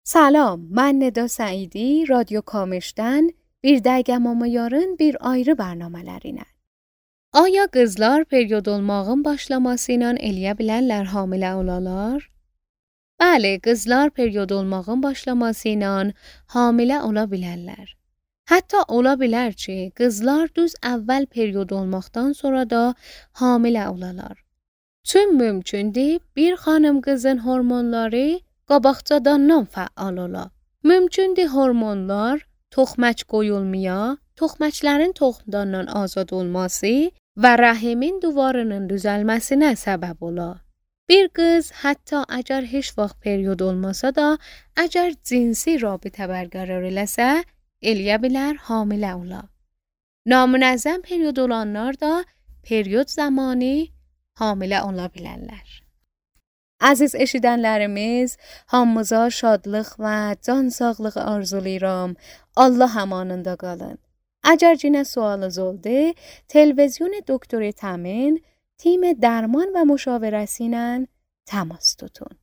Salam, mən Nida Səidi, Radyo Kamış'dan bir dəqiqəmə yarın bir ayrı bərnamələrlə. Aya qızlar period olmağın başlaması ilə eləyə bilərlər hamilə olalar? Bəli, qızlar period olmağın başlaması ilə hamilə ola bilərlər. Hətta ola bilər ki, qızlar düz əvvəl period olmaqdan sonra da hamilə olalar. Tüm mümkündür bir xanım qızın hormonları qabaqcadan fəal ola. Mümkündür hormonlar toxmac qoyulmaya, toxmacların toxumdan azad olması və rəhimin divarının düzəlməsinə səbəb ola. Bir qız hətta əgər heç vaxt period olmasa da, əgər cinsi rabitə bərqərar eləsə, eləyə bilər hamilə ola. Namunəzzəm period olanlar da period zamanı hamilə ola bilərlər. Əziz eşidənlərimiz, hamımıza şadlıq və can sağlığı arzulayıram. Allah amanında qalın. Əgər yenə sualınız oldu, televizyon Doktor Təmin تیم درمان و مشاورتی تماس tutun.